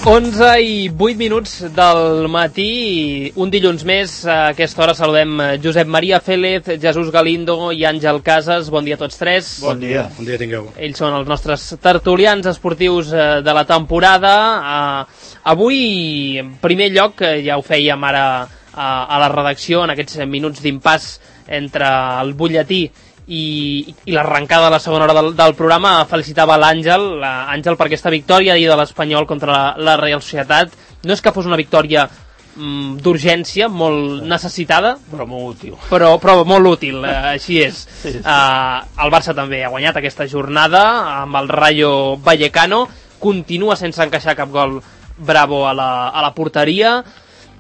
11:08 del matí, un dilluns més. A aquesta hora saludem Josep Maria Félez, Jesús Galindo i Àngel Casas. Bon dia a tots tres. Bon dia tingueu. Ells són els nostres tertulians esportius de la temporada. Avui, en primer lloc, ja ho fèiem ara a la redacció, en aquests minuts d'impàs entre el butlletí i l'arrencada de la segona hora del programa, felicitava l'Àngel per aquesta victòria ahir de l'Espanyol contra la Reial Societat. No és que fos una victòria d'urgència, molt necessitada, però molt útil. Però molt útil, així és. El Barça també ha guanyat aquesta jornada amb el Rayo Vallecano, continua sense encaixar cap gol Bravo a la porteria.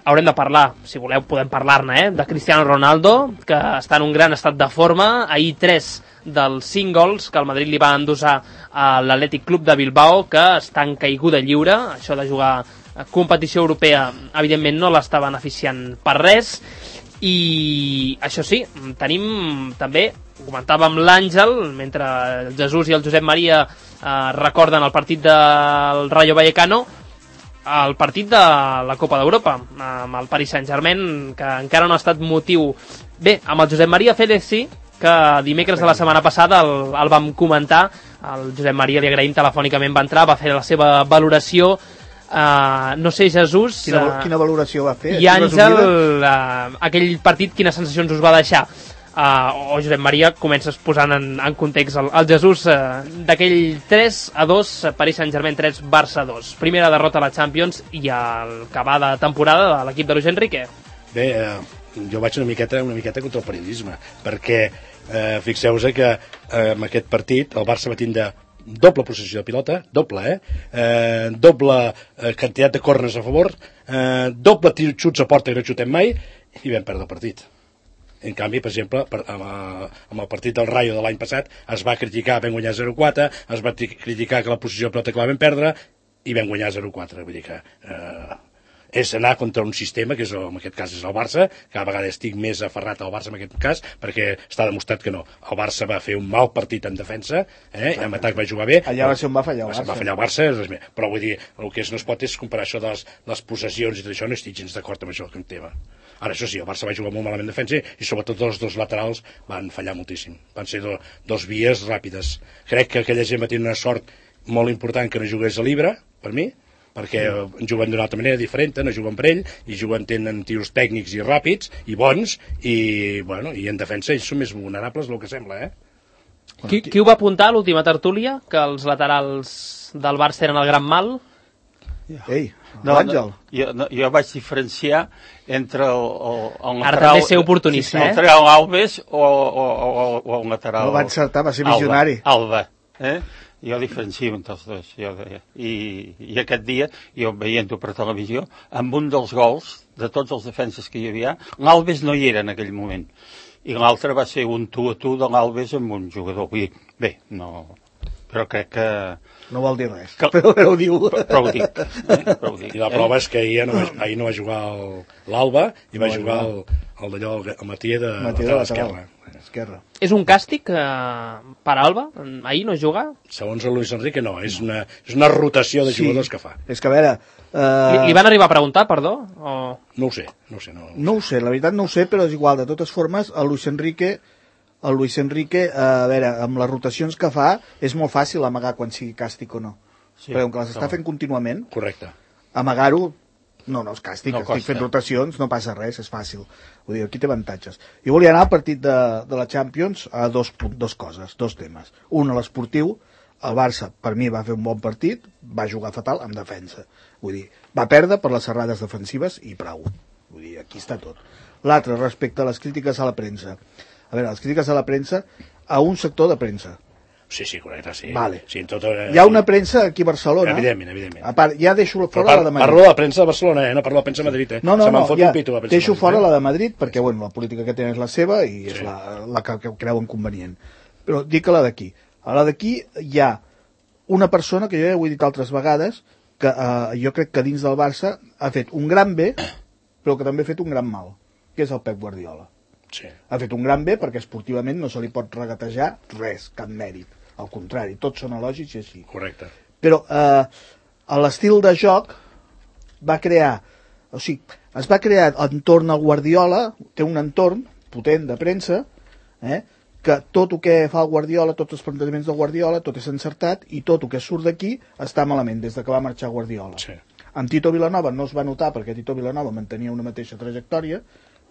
Haurem de parlar, si voleu podem parlar-ne, de Cristiano Ronaldo, que està en un gran estat de forma. Ahir 3 dels 5 gols que el Madrid li va endossar a l'Atlètic Club de Bilbao, que està en caiguda lliure. Això de jugar a competició europea, evidentment, no l'està beneficiant per res. I això sí, tenim també, ho comentàvem l'Àngel, mentre el Jesús i el Josep Maria recorden el partit del Rayo Vallecano, el partit de la Copa d'Europa amb el Paris Saint-Germain, que encara no ha estat motiu. Bé, amb el Josep Maria Félez sí, que dimecres de la setmana passada el vam comentar. El Josep Maria, li agraïm, telefònicament va entrar, va fer la seva valoració. No sé, Jesús, quina valoració va fer? I Àngel, aquell partit, quines sensacions us va deixar? O Josep Maria, comences posant en context el Jesús d'aquell 3-2, Paris Saint-Germain 3, Barça 2. Primera derrota a la Champions i el que va de temporada de l'equip de Luis Enrique. Bé, jo vaig una miqueta contra el periodisme, perquè fixeu-vos que en aquest partit el Barça va tindre doble possessió de pilota, doble quantitat de corners a favor, doble xuts a porta que no xutem mai, i vam perdre el partit. En canvi, per exemple, amb el partit del Rayo de l'any passat es va criticar, vam guanyar 0-4, es va criticar que la posició de pilota que la vam perdre i vam guanyar 0-4. Vull dir que és anar contra un sistema que en aquest cas és el Barça. Cada vegada estic més aferrat al Barça en aquest cas, perquè està demostrat que no. El Barça va fer un mal partit en defensa, en atac va jugar bé. Allà va ser on va fallar el Barça. Va fallar el Barça, però vull dir, el que no es pot és comparar això de les possessions i tot això, no estic gens d'acord amb això que em tema. Ara, això sí, el Barça va jugar molt malament en defensa i sobretot els dos laterals van fallar moltíssim. Van ser dos vies ràpides. Crec que aquella gent va tenir una sort molt important que no jugués a Libra, per mi, perquè juguen d'una altra manera diferent, no juguen per ell, i tenen tiros tècnics i ràpids, i bons, i en defensa ells són més vulnerables del que sembla, Qui ho va apuntar a l'última tertúlia? Que els laterals del Barça eren el gran mal? Ei, l'Àngel. Jo vaig diferenciar entre el lateral... Ara també ser oportunista, el lateral Alves o el lateral... No va encertar, va ser visionari. Alba. Jo diferencio entre els dos. I aquest dia, jo veient-ho per televisió, amb un dels gols de tots els defenses que hi havia, l'Alves no hi era en aquell moment. I l'altre va ser un tu a tu de l'Alves amb un jugador. Vull dir, bé, no... Però crec que... No vol dir res, però ho diu. Però ho dic. I la prova és que ahir no va jugar l'Alba i va jugar el d'allò, el Matías de l'esquerra. És un càstig per Alba? Ahir no juga? Segons el Luis Enrique no, és una rotació de jugadors que fa. És que a veure... Li van arribar a preguntar, perdó? No ho sé. No ho sé, la veritat no ho sé, però és igual. De totes formes, el Luis Enrique, a veure, amb les rotacions que fa, és molt fàcil amagar quan sigui càstig o no. Sí, però com que les està fent contínuament, correcte. Amagar-ho, no és càstig, estic fent rotacions, no passa res, és fàcil. Vull dir, aquí té avantatges. Jo volia anar al partit de la Champions a dos coses, dos temes. Un, a l'esportiu, el Barça, per mi, va fer un bon partit, va jugar fatal en defensa. Vull dir, va perdre per les errades defensives i prou. Vull dir, aquí està tot. L'altre, respecte a les crítiques a la premsa. A veure, les crítiques a la premsa, a un sector de premsa. Sí, correcte, sí. Vale. Sí, hi ha una premsa aquí a Barcelona. Evidentment. A part, ja deixo fora la de Madrid. Parlo de la premsa de Barcelona, no parlo de la premsa de Madrid. No, ja deixo fora la de Madrid, perquè la política que tenen és la seva i és la que creuen convenient. Però dic a la d'aquí. A la d'aquí hi ha una persona, que jo ja ho he dit altres vegades, que jo crec que dins del Barça ha fet un gran bé, però que també ha fet un gran mal, que és el Pep Guardiola. Sí. Ha fet un gran bé perquè esportivament no se li pot regatejar res, cap mèrit. Al contrari, tots són elogis i així. Correcte. Però a l'estil de joc va crear, o sigui, es va crear entorn al Guardiola, té un entorn potent de premsa, que tot el que fa el Guardiola, tots els plantejaments del Guardiola, tot és encertat i tot el que surt d'aquí està malament des de que va marxar Guardiola. Sí. Amb Tito Vilanova no es va notar perquè Tito Vilanova mantenia una mateixa trajectòria,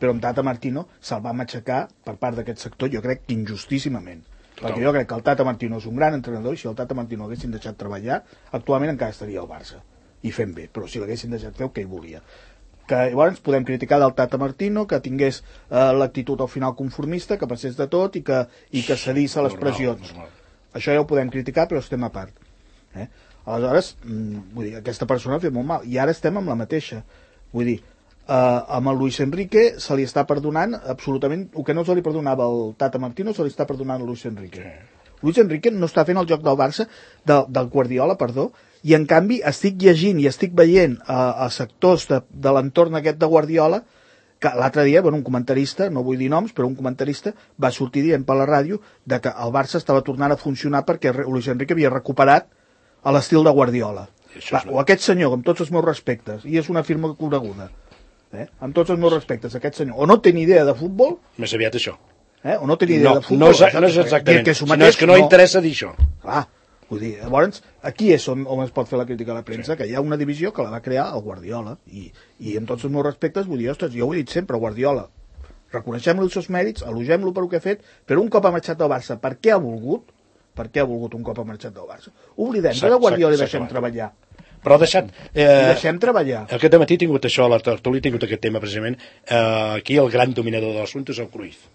però amb Tata Martino se'l va matxacar per part d'aquest sector, jo crec que injustíssimament. Perquè jo crec que el Tata Martino és un gran entrenador i si el Tata Martino l'haguessin deixat treballar, actualment encara estaria al Barça i fent bé, però si l'haguessin deixat fer el que ell volia. Que llavors podem criticar del Tata Martino que tingués l'actitud al final conformista, que passés de tot i que cedís a les pressions. Això ja ho podem criticar, però estem a part. Aleshores, vull dir, aquesta persona ha fet molt mal i ara estem amb la mateixa. Vull dir, amb el Luis Enrique se li està perdonant absolutament el que no se li perdonava al Tata Martino, se li està perdonant a Luis Enrique. Luis Enrique no està fent el joc del Barça, del Guardiola, perdó, i en canvi estic llegint i estic veient a sectors de l'entorn aquest de Guardiola que l'altre dia, un comentarista, no vull dir noms, però un comentarista va sortir dient per la ràdio de que el Barça estava tornant a funcionar perquè Luis Enrique havia recuperat l'estil de Guardiola. O aquest senyor, amb tots els meus respectes, i és una firma coneguda, amb tots els meus respectes, aquest senyor, o no té ni idea de futbol... Més aviat això. O no té ni idea de futbol... No és exactament, sinó és que no interessa dir això. Clar, vull dir, llavors, aquí és on es pot fer la crítica a la premsa, que hi ha una divisió que la va crear el Guardiola, i amb tots els meus respectes vull dir, ostres, jo ho he dit sempre, Guardiola, reconeixem-li els seus mèrits, elogem-lo per el que ha fet, però un cop ha marxat del Barça, per què ha volgut un cop ha marxat del Barça? Oblidem-se de Guardiola i deixem treballar. Però ha deixat... deixem treballar. Aquest matí he tingut això, a la tertúlia he tingut aquest tema precisament. Aquí el gran dominador de l'assumpte és el Cruyff.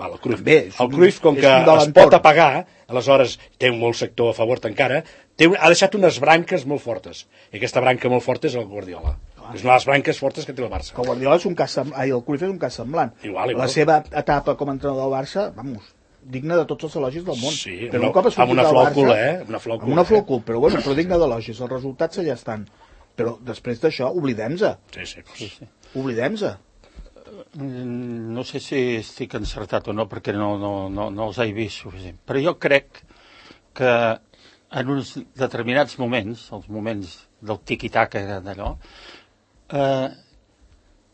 El Cruyff. El Cruyff, com que es pot apagar, aleshores té un molt sector a favor encara, ha deixat unes branques molt fortes. I aquesta branca molt forta és el Guardiola. És una de les branques fortes que té el Barça. El Guardiola és un cas semblant, el Cruyff és un cas semblant. La seva etapa com a entrenador del Barça, digna de tots els elogis del món. Sí, amb una flòcula, amb una flòcula, però digna d'elogis. Els resultats allà estan. Però després d'això, oblidem-se. Sí. Oblidem-se. No sé si estic encertat o no, perquè no els he vist suficient. Però jo crec que en uns determinats moments, els moments del tiqui-taca d'allò,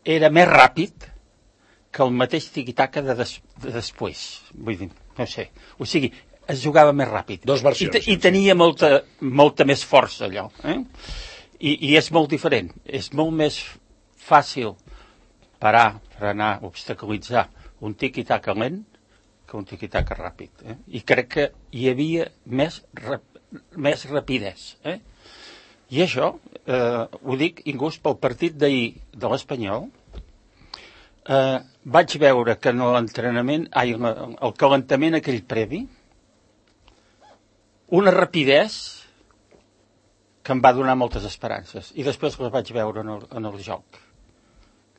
era més ràpid que el mateix tiqui-taca de després. Vull dir, no sé. O sigui, es jugava més ràpid. Dos versions. I tenia molta més força, allò. I és molt diferent. És molt més fàcil parar, frenar, obstaculitzar un tiqui-taca lent que un tiqui-taca ràpid. I crec que hi havia més rapidesa. I això, ho dic inclús pel partit d'ahir de l'Espanyol, vaig veure que en l'entrenament, el calentament aquell previ, una rapidesa que em va donar moltes esperances. I després les vaig veure en el joc,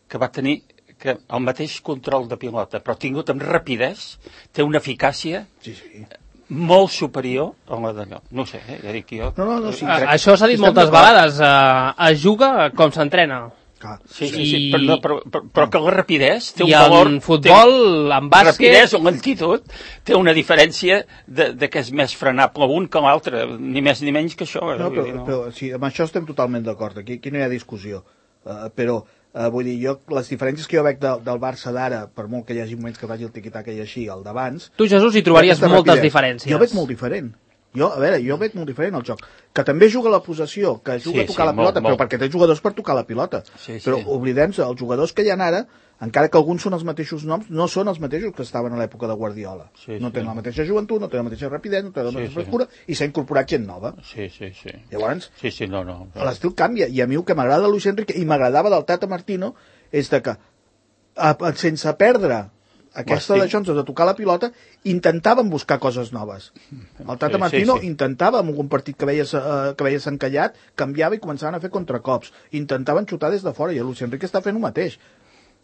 que va tenir el mateix control de pilota, però tingut amb rapidesa, té una eficàcia molt superior a la d'allò. No sé, ja dic jo... Això s'ha dit moltes vegades, es juga com s'entrena. Sí, però que la rapidesa té un valor... I en futbol, en bàsquet... Rapidesa o lentitud té una diferència de que és més frenable un que l'altre, ni més ni menys que això. Però sí, amb això estem totalment d'acord, aquí no hi ha discussió. Però, vull dir, les diferències que jo veig del Barça d'ara, per molt que hi hagi moments que faci el tiqui-taca i així, el d'abans... Tu, Jesús, hi trobaries moltes diferències. Jo veig molt diferent. Jo veig molt diferent el joc. Que també juga la possessió, que juga a tocar la pilota, però perquè té jugadors per tocar la pilota. Però oblidem-se, els jugadors que hi ha ara, encara que alguns són els mateixos noms, no són els mateixos que estaven a l'època de Guardiola. No tenen la mateixa joventut, no tenen la mateixa rapidesa, no tenen la mateixa frescura, i s'ha incorporat gent nova. Llavors, l'estil canvia, i a mi el que m'agrada de Luis Enrique, i m'agradava del Tata Martino, és que sense perdre aquesta d'això, de tocar la pilota, intentaven buscar coses noves. El Tata Martino intentava, en algun partit que veies encallat, canviava i començaven a fer contracops. Intentaven xutar des de fora, i el Luis Enrique està fent el mateix.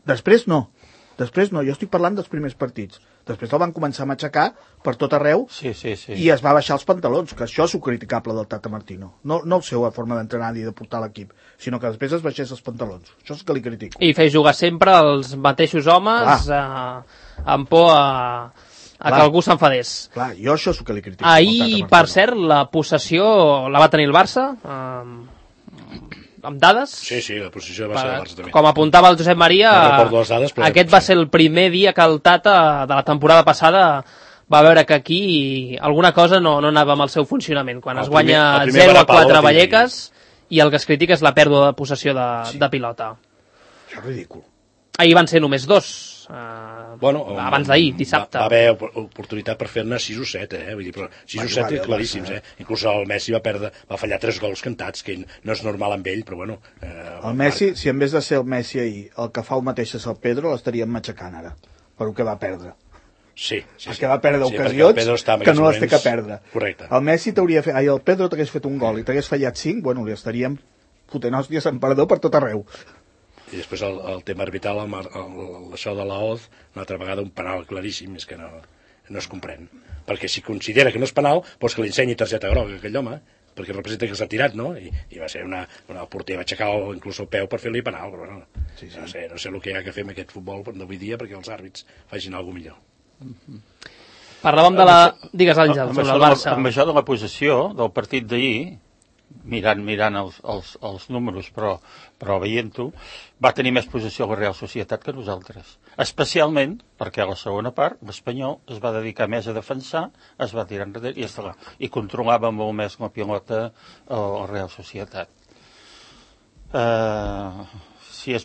Després no, jo estic parlant dels primers partits. Després el van començar a matxacar per tot arreu i es va baixar els pantalons, que això és el criticable del Tata Martino. No la seva forma d'entrenar ni de portar l'equip, sinó que després es baixés els pantalons. Això és que li critico. I fer jugar sempre els mateixos homes amb por a que algú s'enfadés. Clar, jo això és el que li critico. Ahir, per cert, la possessió la va tenir el Barça. amb dades. Sí, la posició va ser del Barça també. Com apuntava el Josep Maria, no recordo les dades, però aquest va ser el primer dia que el Tata de la temporada passada va veure que aquí alguna cosa no anava amb el seu funcionament. Quan es guanya 0-4 a Vallecas i el que es critica és la pèrdua de possessió de pilota. Això és ridícul. Ahir van ser només 2. Abans d'ahir, dissabte. Va haver oportunitat per fer-ne 6 o 7, vull dir, però 6 o 7 claríssims, Inclús el Messi va fallar 3 gols cantats, que no és normal amb ell, però bueno... El Messi, si en vez de ser el Messi ahir, el que fa el mateix és el Pedro, l'estaríem matxacant ara, per el que va perdre. Sí. Perquè va perdre ocasions que no les té que perdre. Correcte. El Messi t'hauria fet... el Pedro t'hagués fet un gol i t'hagués fallat 5, bueno, li estaríem fotent hòsties en perdó per tot arreu. I després el tema arbitral, això de la Oz, una altra vegada un penal claríssim, és que no es comprèn. Perquè si considera que no és penal, doncs que li ensenyi targeta groga a aquell home, perquè representa que s'ha tirat, no? I va ser el porter va aixecar inclús el peu per fer-li penal, però no. Sí. No sé el que hi ha que fer amb aquest futbol d'avui dia perquè els àrbits facin alguna millor. Parlàvem de la... Digues, Àngel, sobre el Barça. Amb això de la possessió del partit d'ahir, mirant els números, però veient-ho, va tenir més possessió la Real Societat que nosaltres. Especialment perquè a la segona part l'Espanyol es va dedicar més a defensar, es va tirar enrere i controlava molt més la pilota a la Real Societat. Si la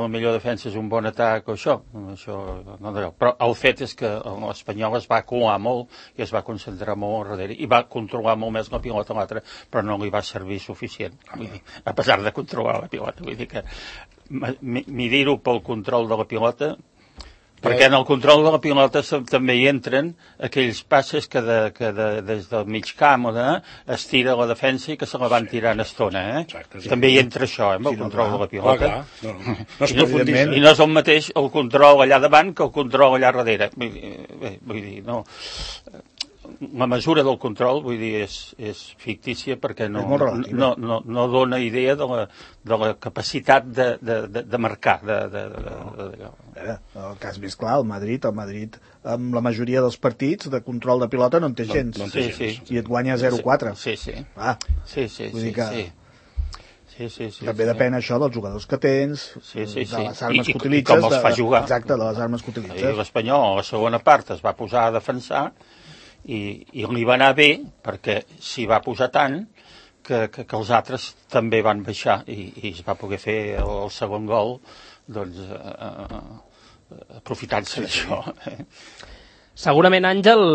millor defensa és un bon atac o això no deu. Però el fet és que l'Espanyol es va colar molt i es va concentrar molt al darrere i va controlar molt més la pilota a l'altre, però no li va servir suficient, vull dir, a pesar de controlar la pilota. Vull dir que medir-ho pel control de la pilota, perquè en el control de la pilota també hi entren aquells passes que des del mig camp es tira la defensa i que se la van tirant estona. Exacte. També hi entra això, amb el control de la pilota. I no és el mateix el control allà davant que el control allà darrere. Vull dir, no... La mesura del control, vull dir, és fictícia perquè no dona idea de la capacitat de marcar. El cas més clar, el Madrid, amb la majoria dels partits de control de pilota no en té gens. I et guanya 0-4. Sí. Vull dir que... Sí. També depèn això dels jugadors que tens, de les armes que utilitzes. I com els fa jugar. Exacte, de les armes que utilitzes. L'Espanyol, a la segona part, es va posar a defensar i li va anar bé perquè s'hi va posar tant que els altres també van baixar i es va poder fer el segon gol aprofitant-se d'això. Segurament, Àngel,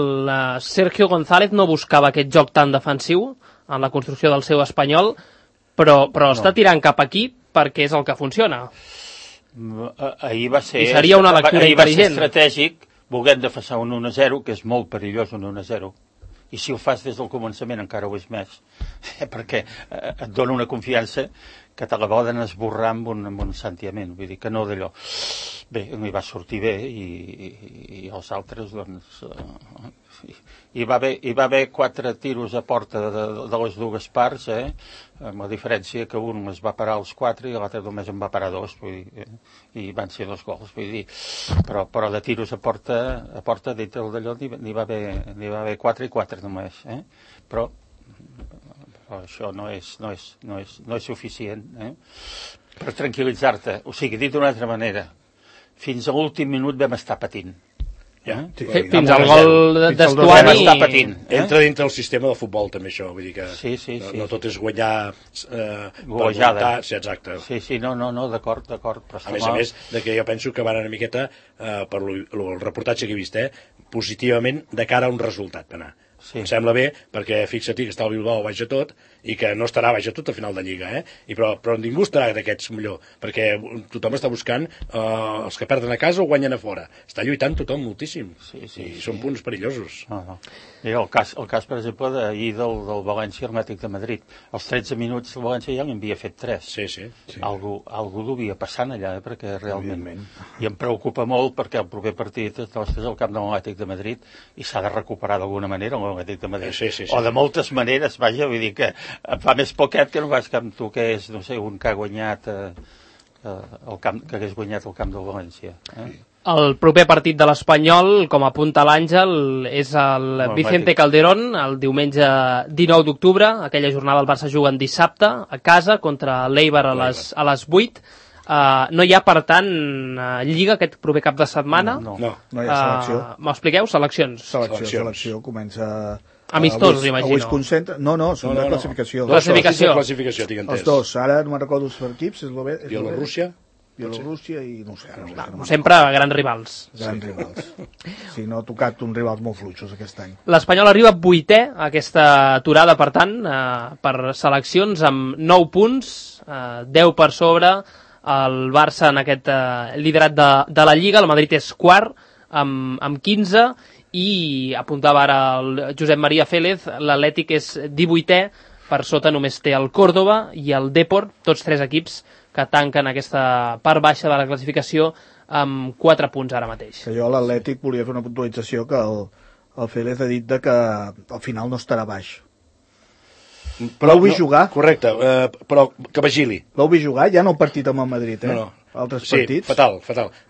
Sergio González no buscava aquest joc tan defensiu en la construcció del seu Espanyol, però està tirant cap aquí perquè és el que funciona. Ahir va ser... I seria una lectura intel·ligent. Estratègic, volent defensar un 1-0, que és molt perillós un 1-0. I si ho fas des del començament encara ho és més, perquè et dona una confiança que te la poden esborrar amb un sentiment, vull dir que no d'allò. Bé, m'hi va sortir bé i els altres, doncs... Hi va haver 4 tiros a porta de les dues parts, amb la diferència que un es va parar als 4 i l'altre només en va parar 2, vull dir, i van ser 2 gols, vull dir, però de tiros a porta dintre d'allò n'hi va haver 4 i 4 només, però això no és suficient, per tranquil·litzar-te. O sigui, dit d'una altra manera, fins a l'últim minut vam estar patint. Fins al gol d'Estuani està patint. Entra dintre el sistema del futbol també això, vull dir que no tot és guanyar golejada. Exacte. Sí, no, d'acord. A més de que jo penso que van una miqueta per el reportatge que he vist, positivament de cara a un resultat d'anar. Em sembla bé, perquè fixa-t'hi que està el Bilbao baix a tot i que no estarà baix a tot a final de Lliga, però ningú estarà d'aquests millor, perquè tothom està buscant els que perden a casa o guanyen a fora. Està lluitant tothom moltíssim i són punts perillosos. Mira, el cas, per exemple, d'ahir del València Atlètic de Madrid. Als 13 minuts el València ja n'havia fet 3. Sí. Algú devia passant allà, perquè realment... I em preocupa molt perquè el proper partit és al camp de l'Atlètic de Madrid i s'ha de recuperar d'alguna manera l'Atlètic de Madrid. Sí. O de moltes maneres, vaja, vull dir que em fa més poquet que no vas que amb tu que és, no sé, un que ha guanyat que hagués guanyat el camp del València. El proper partit de l'Espanyol, com apunta l'Àngel, és el Vicente Calderón, el diumenge 19 d'octubre. Aquella jornada el Barça juga en dissabte, a casa, contra l'Eibar a les 8. No hi ha, per tant, Lliga aquest proper cap de setmana? No hi ha selecció. M'ho expliqueu? Seleccions. Selecció comença... Amistosos, imagino. Avui es concentra... No, són de classificació. Classificació, tinc entès. Els dos, ara no me'n recordo els equips, és Bielorússia i no sé. Sempre grans rivals. Grans rivals. Sí, no ha tocat uns rivals molt fluixos aquest any. L'Espanyol arriba 8è a aquesta aturada, per tant, per seleccions, amb 9 punts, 10 per sobre, el Barça en aquest liderat de la Lliga, el Madrid és quart, amb 15, i apuntava ara el Josep Maria Félez, l'Atlètic és 18è, per sota només té el Córdoba i el Depor, tots 3 equips que tanquen aquesta part baixa de la classificació amb 4 punts ara mateix. Que jo a l'Atlètic volia fer una puntualització que el Félez ha dit que al final no estarà baix. Però l'heu vist jugar? Correcte, però que vigili. L'heu vist jugar? Ja no el partit amb el Madrid, eh? No. Altres partits. Sí, fatal.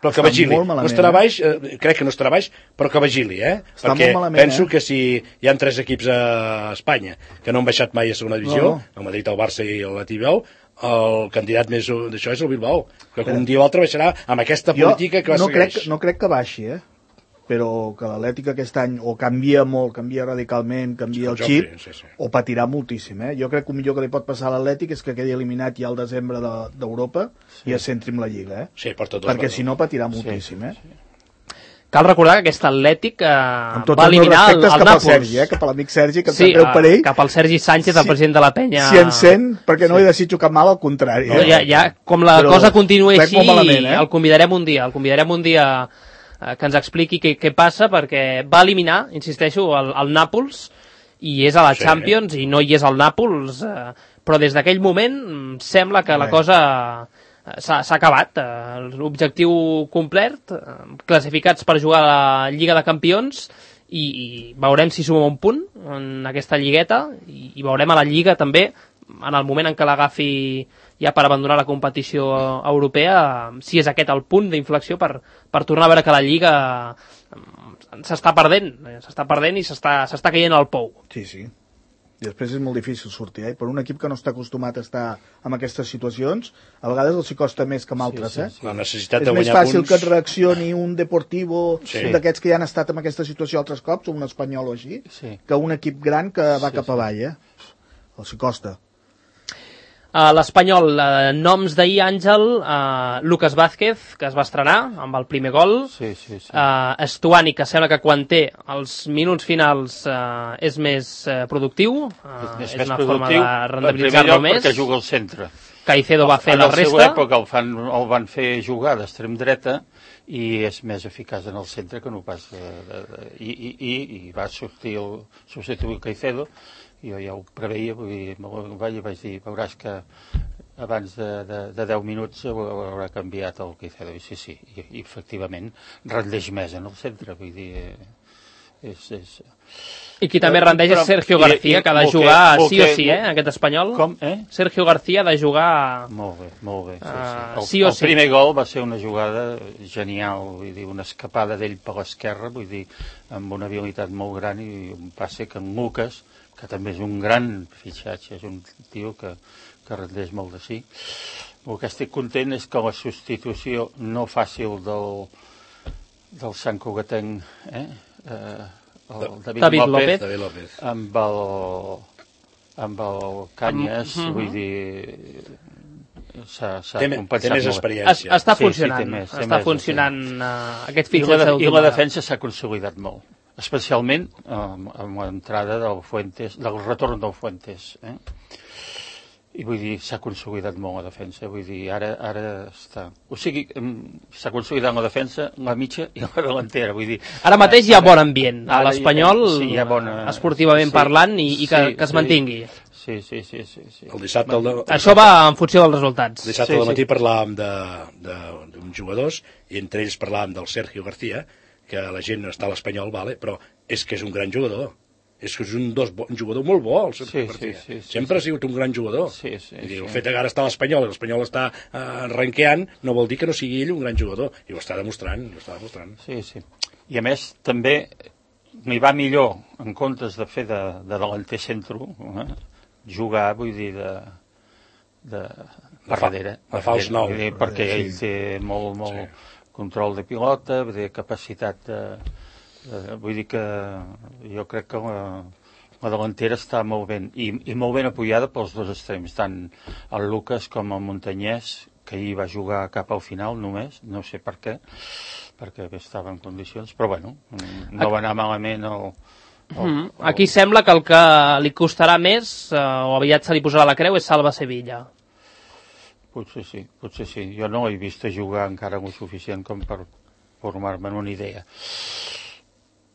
Però que vigili. No estarà baix, crec que no estarà baix, però que vigili, Perquè penso que si hi ha 3 equips a Espanya que no han baixat mai a segona divisió, el Madrid, el Barça i l'Atlètic, el candidat més d'això és el Bilbao, que un dia o altre baixarà amb aquesta política que va segueix. No crec que baixi, però que l'Atlètic aquest any o canvia molt, canvia radicalment, canvia el xip, o patirà moltíssim. Jo crec que el millor que li pot passar a l'Atlètic és que quedi eliminat ja al desembre d'Europa i es centri en la Lliga, perquè si no patirà moltíssim. Cal recordar que aquest Atlètic va eliminar el Nàpols. Cap a l'amic Sergi, que em sap greu per ell. Cap al Sergi Sánchez, el president de la penya. Si en sent, perquè no li desitjo cap mal, al contrari. Com la cosa continua així, el convidarem un dia que ens expliqui què passa, perquè va eliminar, insisteixo, el Nàpols, i és a la Champions, i no hi és el Nàpols, però des d'aquell moment sembla que la cosa s'ha acabat. L'objectiu complet, classificats per jugar a la Lliga de Campions, i veurem si suma un punt en aquesta lligueta, i veurem a la Lliga també, en el moment en què l'agafi ja per abandonar la competició europea, si és aquest el punt d'inflexió per tornar a veure que la Lliga s'està perdent i s'està caient al pou. Sí. I després és molt difícil sortir, Per un equip que no està acostumat a estar en aquestes situacions, a vegades els hi costa més que amb altres, La necessitat de guanyar punts... És més fàcil que et reaccioni un Deportivo, un d'aquests que ja han estat en aquesta situació altres cops, un Espanyol o així, que un equip gran que va cap avall, Els hi costa. L'Espanyol, noms d'ahir, Àngel, Lucas Vázquez, que es va estrenar amb el primer gol, Estuani, que sembla que quan té els minuts finals és més productiu, és una forma de rendibilitzar-lo més. Perquè juga al centre. Caicedo va fer la resta. En la seva època el van fer jugar d'extrem dreta i és més eficaç en el centre que no pas... I va substituir Caicedo. Jo ja ho preveia, vaig dir, veuràs que abans de 10 minuts haurà canviat el Caicedo, i sí, i efectivament rendeix més en el centre, vull dir, I qui també rendeix és Sergio García, que ha de jugar sí o sí, aquest espanyol. Com? Sergio García ha de jugar... Molt bé, sí o sí. El primer gol va ser una jugada genial, vull dir, una escapada d'ell per l'esquerra, vull dir, amb una habilitat molt gran i un passe que en Lucas, que també és un gran fitxatge, és un tio que rendeix molt de sí. El que estic content és que la substitució no fàcil del Sant Cugatenc, el David López, amb el Cañas, vull dir, s'ha compensat més molt. Experiència. Està funcionant aquest fitxatge. I la defensa s'ha consolidat molt, especialment amb l'entrada del retorn del Fuentes. I vull dir, s'ha consolidat molt la defensa, vull dir, ara està... O sigui, s'ha consolidat la defensa, la mitja i la delantera, vull dir... Ara mateix hi ha bon ambient a l'Espanyol, esportivament parlant, i que es mantingui. Sí. El dissabte... Això va en funció dels resultats. El dissabte al matí parlàvem d'uns jugadors, i entre ells parlàvem del Sergio García, que la gent no està a l'Espanyol, però és que és un gran jugador. És que és un jugador molt bo, el Sí. Sempre ha sigut un gran jugador. Sí. El fet que ara està a l'Espanyol i l'Espanyol està ranqueant no vol dir que no sigui ell un gran jugador, i ho està demostrant. Sí. I a més, també m'hi va millor, en comptes de fer de delanter centro, jugar, vull dir, per darrere. De fals nou. Perquè ell té molt control de pilota, de capacitat vull dir que jo crec que la delantera està molt ben, i molt ben apoyada pels dos extrems, tant el Lucas com el Montanyès, que ahir va jugar cap al final només, no sé per què, perquè estava en condicions, però bueno, no va anar malament Aquí sembla que el que li costarà més, o aviat se li posarà la creu, és Salva Sevilla. Potser sí. Jo no he vist jugar encara molt suficient com per formar-me una idea.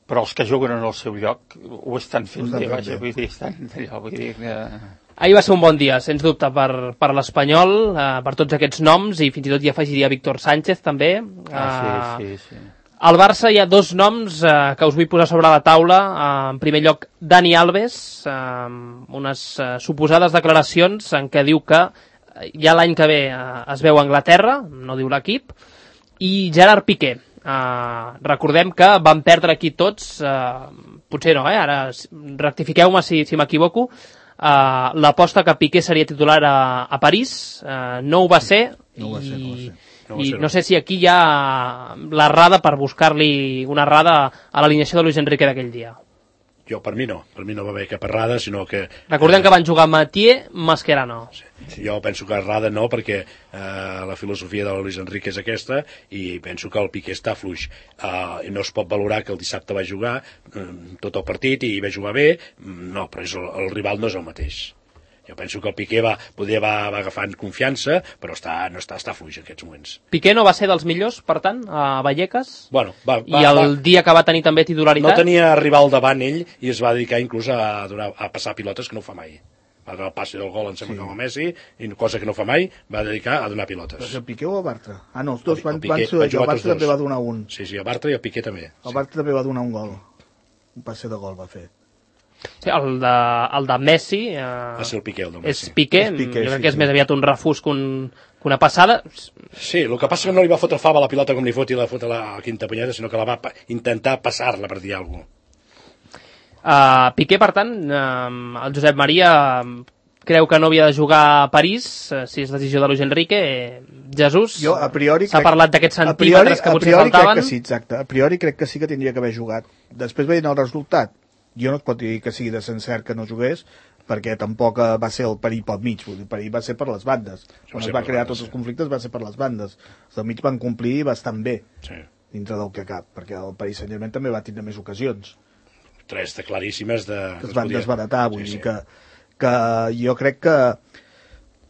Però els que juguen en el seu lloc ho estan fent bé, vull dir, estan allò, vull dir que... Ahir va ser un bon dia, sens dubte, per l'Espanyol, per tots aquests noms, i fins i tot hi afegiria Víctor Sánchez, també. Sí. Al Barça hi ha dos noms que us vull posar sobre la taula. En primer lloc, Dani Alves, unes suposades declaracions en què diu que ja l'any que ve es veu a Anglaterra, no diu l'equip, i Gerard Piqué. Recordem que van perdre aquí tots, potser no, ara rectifiqueu-me si m'equivoco, l'aposta que Piqué seria titular a París, no ho va ser, i no sé si aquí hi ha l'errada per buscar-li una errada a l'alineació de Luis Enrique d'aquell dia. Per mi no va haver cap errada, sinó que... Recordem que van jugar Mathieu, Mascherano. Sí, jo penso que errada no, perquè la filosofia de Luis Enrique és aquesta, i penso que el Piqué està fluix. No es pot valorar que el dissabte va jugar tot el partit i va jugar bé, no, però el rival no és el mateix. Jo penso que el Piqué va agafant confiança, però no està fluix en aquests moments. Piqué no va ser dels millors, per tant, a Vallecas? Bueno, I el dia que va tenir també titularitat? No tenia rival davant ell i es va dedicar inclús a passar pilotes, que no ho fa mai. Va donar el passi del gol, em sembla que amb el Messi, i cosa que no fa mai, va dedicar a donar pilotes. Però el Piqué o el Bartra? No, els dos van ser, el Bartra també va donar un. Sí, el Bartra i el Piqué també. El Bartra també va donar un gol. Un passe de gol va fer. Sí, el de Messi va ser el Piqué, el de Messi. És Piqué, jo crec que és més aviat un refús que una passada. Sí, el que passa que no li va fotre fava la pilota com li fot i la fot a la quinta punyada, sinó que la va intentar passar-la per dir alguna cosa. Piqué, per tant, el Josep Maria creu que no havia de jugar a París, si és decisió de Luis Enrique. Jesús, s'ha parlat d'aquests centímetres que potser faltaven. Crec que sí, exacte. A priori crec que sí que tindria que haver jugat. Després veient el resultat, jo no es pot dir que sigui de cert que no jugués, perquè tampoc va ser el perill pel mig, vull dir, el perill va ser per les bandes. Quan es va crear tots els conflictes va ser per les bandes. Els del mig van complir bastant bé, dintre del que cap, perquè el Paris Saint-Germain també va tindre més ocasions. 3 de claríssimes que es van desbaratar, vull dir que jo crec que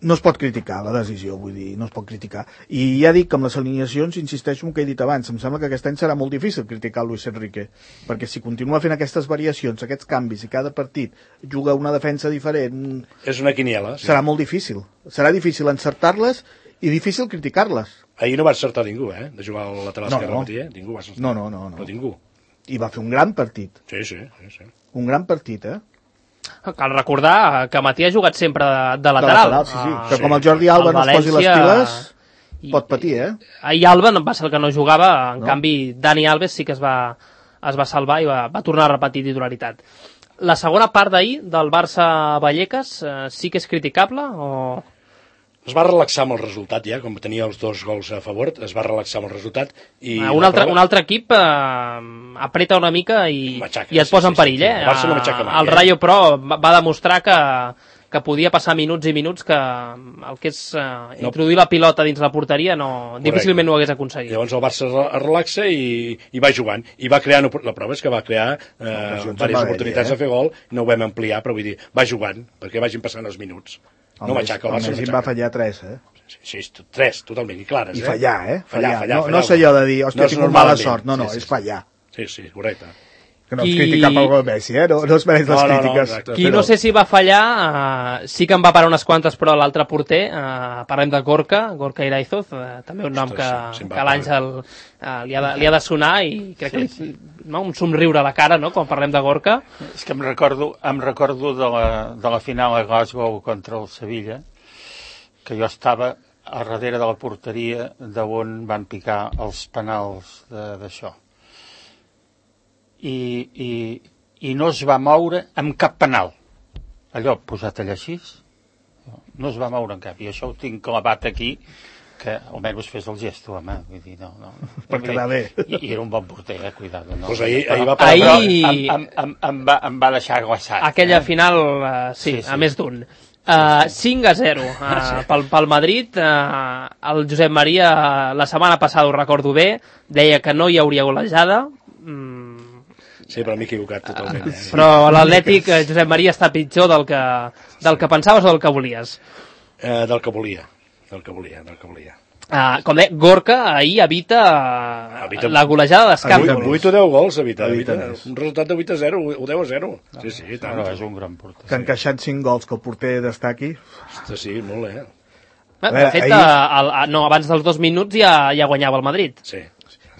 no es pot criticar la decisió, vull dir, no es pot criticar. I ja dic que amb les alineacions, insisteixo en el que he dit abans, em sembla que aquest any serà molt difícil criticar Luis Enrique, perquè si continua fent aquestes variacions, aquests canvis, i cada partit juga una defensa diferent... És una quiniela. Serà molt difícil. Serà difícil encertar-les i difícil criticar-les. Ahir no va encertar ningú, de jugar al lateral esquerre al matí, Ningú va encertar. No. No ningú. I va fer un gran partit. Sí. Un gran partit, Cal recordar que Matí ha jugat sempre de lateral. Sí. Que com el Jordi Alba no es posi les piles, pot patir, Ahir Alba va ser el que no jugava, en canvi Dani Alves sí que es va salvar i va tornar a repetir titularitat. La segona part d'ahir, del Barça-Vallecas, sí que és criticable o... Es va relaxar amb el resultat ja, com tenia els 2 gols a favor, es va relaxar amb el resultat. I un altre equip apreta una mica i et posa en perill. El Barça no m'aixeca mai. El Rayo, però, va demostrar que podia passar minuts i minuts que el que és introduir la pilota dins la porteria difícilment ho hagués aconseguit. Llavors el Barça es relaxa i va jugant. I va crear, la prova és que va crear diverses oportunitats a fer gol, no ho vam ampliar, però vull dir, va jugant, perquè vagin passant els minuts. No m'aixeca, el Barça no m'aixeca. va fallar 3, Sí, 3, totalment, i clares. I fallar, Fallar. No sé allò de dir, hòstia, tinc mala sort. No, és fallar. Sí, correcte. Que no es critica pel gol Messi, no es mereix les crítiques. Qui no sé si va fallar, sí que en va parar unes quantes, però l'altre porter, parlem de Gorka Iraizoz, també un nom que l'Àngel li ha de sonar i crec que un somriure a la cara, no?, quan parlem de Gorka. És que em recordo de la final a Glasgow contra el Sevilla, que jo estava a darrere de la porteria d'on van picar els penals d'això. I no es va moure amb cap penal. Allò posat allà així, no es va moure en cap. I això ho tinc clavat aquí, que almenys fes el gesto, home. Vull dir, no. Per quedar bé. I era un bon porter, cuidado. No? Pues ahir va parar... Em va deixar glaçat. Aquella final, sí, a més d'un. 5-0 pel Madrid. El Josep Maria la setmana passada, ho recordo bé, deia que no hi hauria golejada. Sí, però m'he equivocat totalment. Però l'Atlètic, Josep Maria, està pitjor del que pensaves o del que volies? Del que volia. Com deia, Gorka ahir evita la golejada d'escàndol. 8 o 10 gols evita. Un resultat de 8-0 o 10-0. Sí, tant. No, és un gran porter. Que han encaixat 5 gols que el porter destaqui. Sí, molt, De fet, abans dels 2 minuts ja guanyava el Madrid. Sí.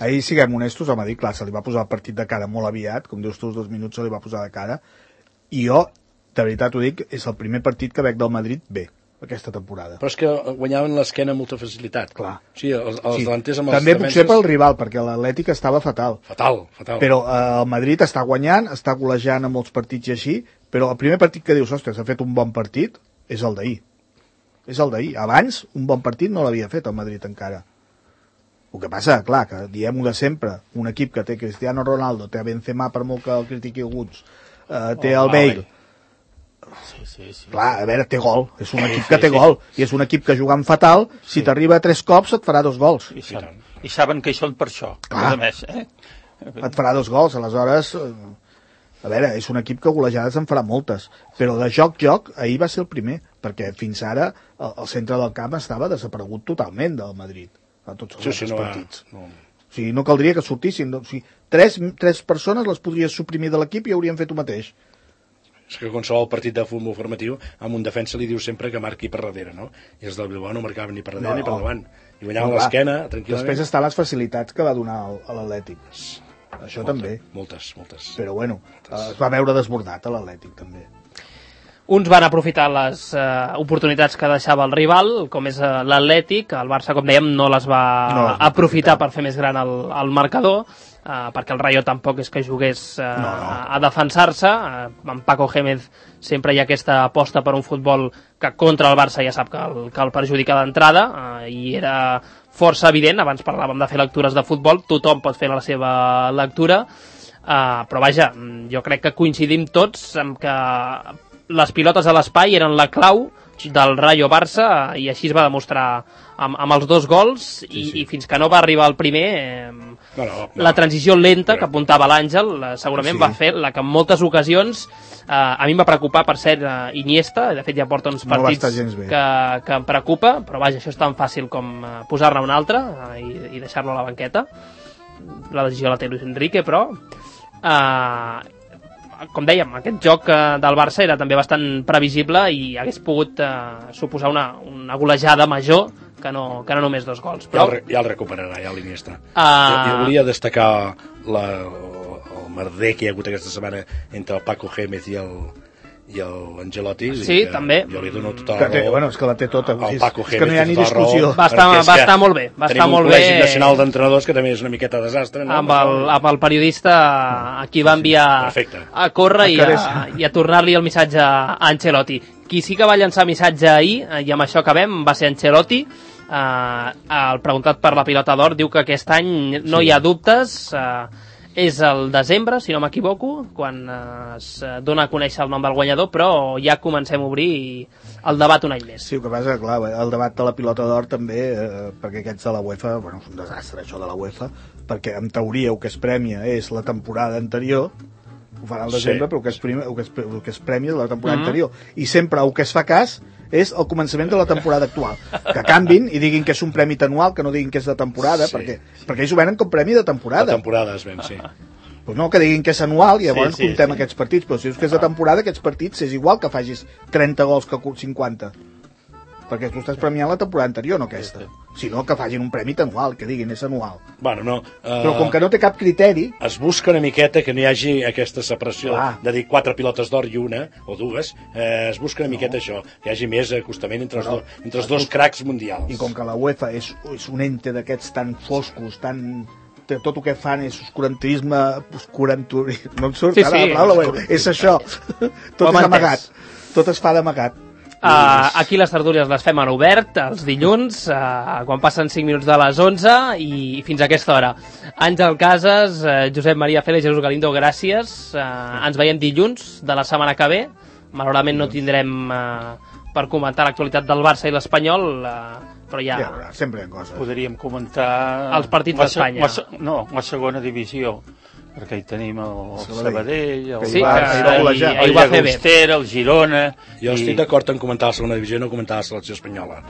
Ahir, siguem honestos, el Madrid, clar, se li va posar el partit de cara molt aviat, com dius tu, els 2 minuts se li va posar de cara, i jo, de veritat ho dic, és el primer partit que veig del Madrid bé, aquesta temporada. Però és que guanyaven l'esquena amb molta facilitat. Clar. Sí, els delanters amb els també potser pel rival, perquè l'Atlètic estava fatal. Fatal. Però el Madrid està guanyant, està golejant en molts partits i així, però el primer partit que dius, ostres, ha fet un bon partit, és el d'ahir. Abans, un bon partit no l'havia fet el Madrid encara. El que passa, clar, que diem-ho de sempre, un equip que té Cristiano Ronaldo, té Benzema, per molt que el critiqui alguns, té el Bale. Sí. Clar, a veure, té gol, és un equip que té gol, i és un equip que jugant fatal, si t'arriba 3 cops et farà 2 gols. I saben que hi són per això, a més, Et farà 2 gols, aleshores... A veure, és un equip que golejades en farà moltes, però de joc, ahir va ser el primer, perquè fins ara el centre del camp estava desaparegut totalment del Madrid. A tots els partits. O sigui, no caldria que sortissin. O sigui, 3 persones les podries suprimir de l'equip i haurien fet el mateix. És que qualsevol partit de futbol formatiu amb un defensa li diu sempre que marqui per darrere, no? I els del Bilbao no marcaven ni per darrere ni per davant. I guanyaven l'esquena, tranquil·lament. Després estan les facilitats que va donar a l'Atlètic. Això també. Moltes. Però bueno, es va veure desbordat a l'Atlètic també. Uns van aprofitar les oportunitats que deixava el rival, com és l'Atlètic. El Barça, com dèiem, no les va aprofitar per fer més gran el marcador, perquè el Rayo tampoc és que jugués a defensar-se. Amb Paco Gémez sempre hi ha aquesta aposta per un futbol que contra el Barça ja sap que el perjudica d'entrada, i era força evident. Abans parlàvem de fer lectures de futbol, tothom pot fer la seva lectura, però vaja, jo crec que coincidim tots en que les pilotes a l'espai eren la clau del Rayo Barça, i així es va demostrar amb els 2 gols. I fins que no va arribar el primer, la transició lenta que apuntava l'Àngel segurament va fer la que en moltes ocasions a mi em va preocupar, per cert, Iniesta. De fet ja porta uns partits que em preocupa, però vaja, això és tan fàcil com posar-ne un altre i deixar-lo a la banqueta. La decisió la té Luis Enrique, però com dèiem, aquest joc del Barça era també bastant previsible i hagués pogut suposar una golejada major que no només 2 gols. Però... Ja el recuperarà, ja l'Iniesta. Jo volia destacar el merder que hi ha hagut aquesta setmana entre el Paco Gémez i l'Angelotti. Sí, també. Jo li dono tota la raó. Bueno, és que la té tota. El Paco Gémez, és que no hi ha ni discussió. Va estar molt bé. Tenim un col·legi nacional d'entrenadors que també és una miqueta desastre. Amb el periodista a qui va enviar a córrer i a tornar-li el missatge a Ancelotti. Qui sí que va llançar missatge ahir, i amb això acabem, va ser Ancelotti. El preguntat per la pilota d'or diu que aquest any no hi ha dubtes. És el desembre, si no m'equivoco, quan es dona a conèixer el nom del guanyador, però ja comencem a obrir el debat un any més. Sí, el que passa, clar, el debat de la pilota d'or també, perquè aquests de la UEFA, bueno, és un desastre això de la UEFA, perquè en teoria el que es premia és la temporada anterior, ho fan al desembre, però el que es premia és la temporada anterior, i sempre el que es fa cas és el començament de la temporada actual. Que canvin i diguin que és un premi anual, que no diguin que és de temporada, perquè ells ho venen com premi de temporada. De temporada es ven, sí. Pues no, que diguin que és anual i llavors comptem aquests partits, però si és que és de temporada, aquests partits és igual que facis 30 gols que 50, perquè tu estàs premiant la temporada anterior, no aquesta. Si no, que facin un premi anual, que diguin és anual. Bueno, no, però com que no té cap criteri... Es busca una miqueta que no hi hagi aquesta separació de dir 4 pilotes d'or i una, o dues, es busca una miqueta això, que hi hagi més acostament entre els dos cracs mundials. I com que la UEFA és un ente d'aquests tan foscos, tan... tot el que fan és oscurantisme, no em surt ara la paraula, és això, tot és amagat, tot es fa d'amagat. Aquí les tertúlies les fem en obert els dilluns, quan passen 5 minuts de les 11 i fins a aquesta hora. Àngel Casas, Josep Maria Félix, Jesús Galindo, gràcies. Ens veiem dilluns de la setmana que ve. Malauradament no tindrem per comentar l'actualitat del Barça i l'Espanyol, però ja sempre hi ha coses. Podríem comentar els partits d'Espanya. No, la segona divisió, perquè hi tenim el Sabadell, el Barça, el Llagostera, el Girona... Jo estic d'acord en comentar la segona divisió i no comentar la selecció espanyola.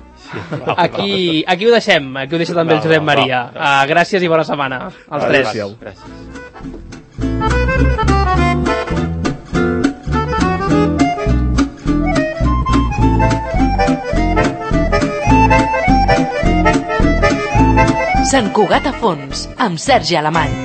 Aquí ho deixem, aquí ho deixa també el Josep Maria. Gràcies i bona setmana als tres. Gràcies. Sant Cugat a Fons, amb Sergi Alemany.